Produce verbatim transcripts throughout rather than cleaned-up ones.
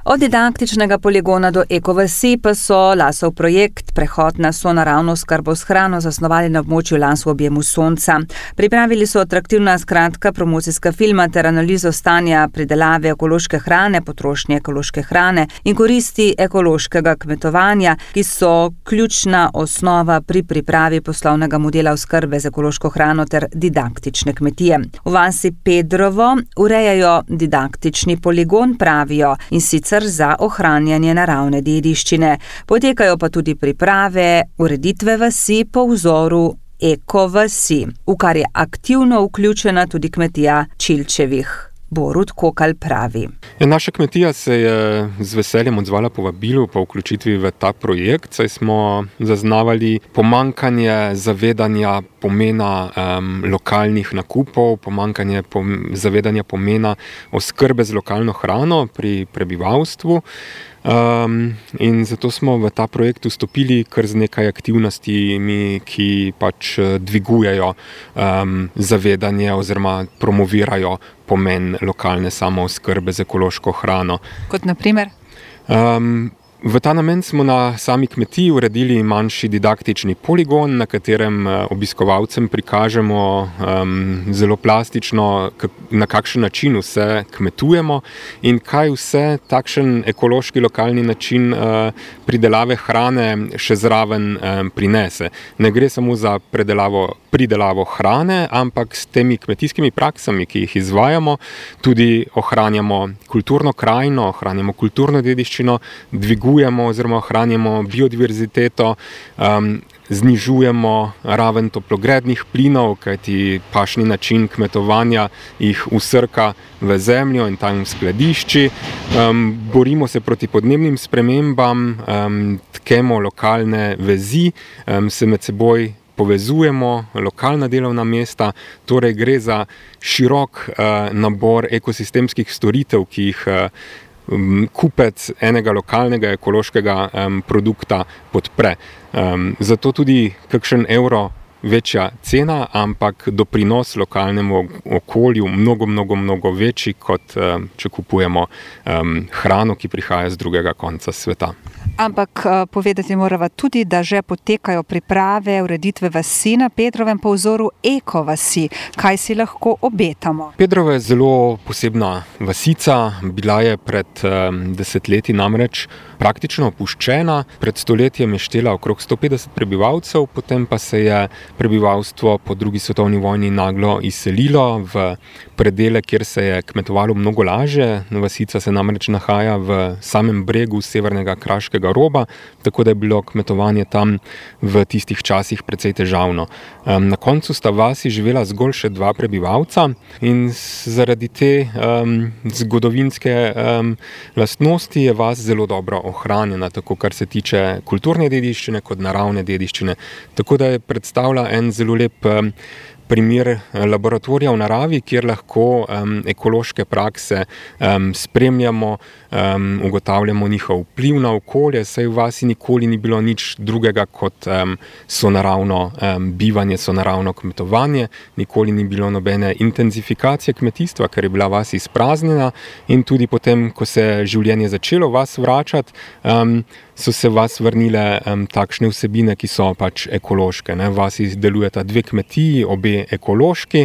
Od didaktičnega poligona do ekovasi pa so Lasov projekt Prehod na sonaravno oskrbo s hrano zasnovali na območju Las v objemu sonca. Pripravili so atraktivna skratka promocijska filma ter analizo stanja pridelave ekološke hrane, potrošnje ekološke hrane in koristi ekološkega kmetovanja, ki so ključna osnova pri pripravi poslovnega modela oskrbe z ekološko hrano ter didaktične kmetije. V vasi Pedrovo urejajo didaktični poligon, pravijo, in sicer za ohranjanje naravne dediščine. Potekajo pa tudi priprave ureditve vasi po vzoru ekovasi, v kar je aktivno vključena tudi kmetija Čilčevih. Borut Kokal pravi. Ja, naša kmetija se je z veseljem odzvala povabilu po vključitvi v ta projekt, saj smo zaznavali pomanjkanje zavedanja pomena um, lokalnih nakupov, pomanjkanje pom- zavedanja pomena oskrbe z lokalno hrano pri prebivalstvu. Um, in zato smo v ta projekt vstopili kar z nekaj aktivnostmi, ki pač dvigujejo um, zavedanje oziroma promovirajo pomen lokalne samooskrbe z ekološko hrano. Kot na primer? Um, V ta namen smo na sami kmetiji uredili manjši didaktični poligon, na katerem obiskovalcem prikažemo um, zelo plastično, na kakšen način vse kmetujemo in kaj vse takšen ekološki lokalni način uh, pridelave hrane še zraven um, prinese. Ne gre samo za predelavo, pridelavo hrane, ampak s temi kmetijskimi praksami, ki jih izvajamo, tudi ohranjamo kulturno krajino, ohranjamo kulturno dediščino, dvigujemo oziroma ohranjamo biodiverziteto, um, znižujemo raven toplogrednih plinov, kajti pašni način kmetovanja jih usrka v zemljo in tam skladišči. Um, borimo se proti podnebnim spremembam, um, tkemo lokalne vezi, um, se med seboj povezujemo, lokalna delovna mesta, torej gre za širok uh, nabor ekosistemskih storitev, ki jih uh, kupec enega lokalnega ekološkega um, produkta podpre. Um, zato tudi kakšen evro večja cena, ampak doprinos lokalnemu okolju mnogo, mnogo, mnogo večji, kot um, če kupujemo um, hrano, ki prihaja z drugega konca sveta. Ampak povedati morava tudi, da že potekajo priprave ureditve vasi na Pedrovem po vzoru ekovasi. Kaj si lahko obetamo? Pedrovo je zelo posebna vasica, bila je pred um, desetletji namreč praktično opuščena. Pred stoletjem je štela okrog sto petdeset prebivalcev, potem pa se je prebivalstvo po drugi svetovni vojni naglo izselilo v predele, kjer se je kmetovalo mnogo lažje. Vasica se namreč nahaja v samem bregu severnega kraškega roba, tako da je bilo kmetovanje tam v tistih časih precej težavno. Um, na koncu sta vasi živela zgolj še dva prebivalca in zaradi te um, zgodovinske um, lastnosti je vas zelo dobro ohranjena, tako kar se tiče kulturne dediščine kot naravne dediščine. Tako da je predstavlja en zelo lep um, primer laboratorija v naravi, kjer lahko um, ekološke prakse um, spremljamo, um, ugotavljamo njihov vpliv na okolje, saj v vasi nikoli ni bilo nič drugega kot um, sonaravno um, bivanje, sonaravno kmetovanje, nikoli ni bilo nobene intenzifikacije kmetijstva, ker je bila vas izpraznjena in tudi potem, ko se je življenje začelo vas vračati, um, so se vas vrnile um, takšne vsebine, ki so pač ekološke. Ne? Vasi delujeta dve kmetiji, obe ekološki,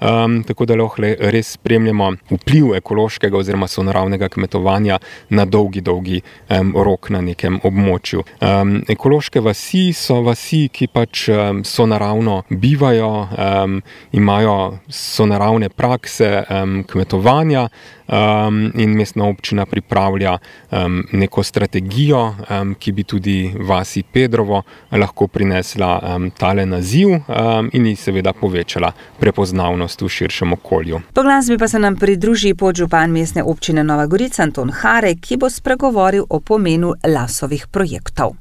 um, tako da lahko res spremljamo vpliv ekološkega oziroma sonaravnega kmetovanja na dolgi, dolgi um, rok na nekem območju. Um, ekološke vasi so vasi, ki pač um, sonaravno bivajo, um, imajo sonaravne prakse um, kmetovanja, Um, in mestna občina pripravlja um, neko strategijo, um, ki bi tudi vasi Pedrovo lahko prinesla um, tale naziv um, in ji seveda povečala prepoznavnost v širšem okolju. Po glasbi pa se nam pridruži podžupan mestne občine Nova Gorica Anton Harek, ki bo spregovoril o pomenu Lasovih projektov.